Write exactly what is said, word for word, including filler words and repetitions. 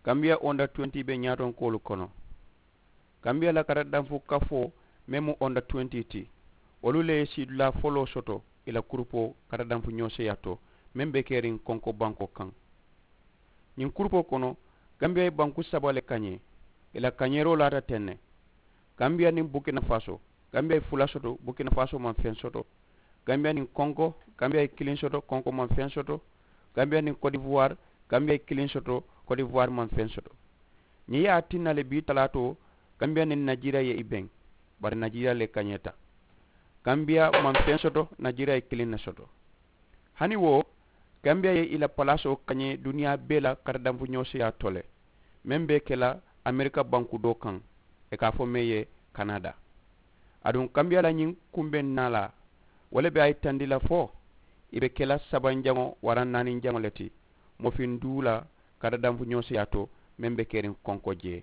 Kambiya onda tuwenti be ñaatonkoolu kono. Kambiya la katadanfu kafoo meŋ mu onda tuwenti ti, wolu le ye siidulaa foloo soto ì la kurupoo katadanfu ñooseyaa to, meŋ be keriŋ konko bankoo kaŋ. Ñiŋ kurupoo kono, kambiya ye banku saba le kañee. Ì la kañeeroo laata teŋ ne. Kambiya niŋ bukina faso, kambiya ye fula soto, bukina faso maŋ feŋ soto. Kambiya niŋ konko, kambiya ye kiliŋ soto, konko maŋ feŋ soto. Kambiya niŋ kodivuwaari, kambiya ye kiliŋ soto, kodivuwaari maŋ feŋ soto. Ñiŋ ye a tinna le bii talaatoo, kambiya niŋ najeriya ye i beŋ, bari najeriya le kañeeta. Kambiya maŋ feŋ soto, najeriya ye kiliŋ ne soto. Hani wo, kambiya ye i la palaasoo kañee duniyaa bee la katadanfu ñooseyaa to le, meŋ be ke la amerika banku doo kaŋ, ì ka a fo meŋ ye kanada. Aduŋ kambiya la ñiŋ kumbeŋ naalaa, wo le be a yitandi la fo ì be ke la sabanjaŋo waraŋ naaninjaŋo le ti, mofiŋ duu la katadanfu ñooseyaa to, meŋ be keriŋ konko jee.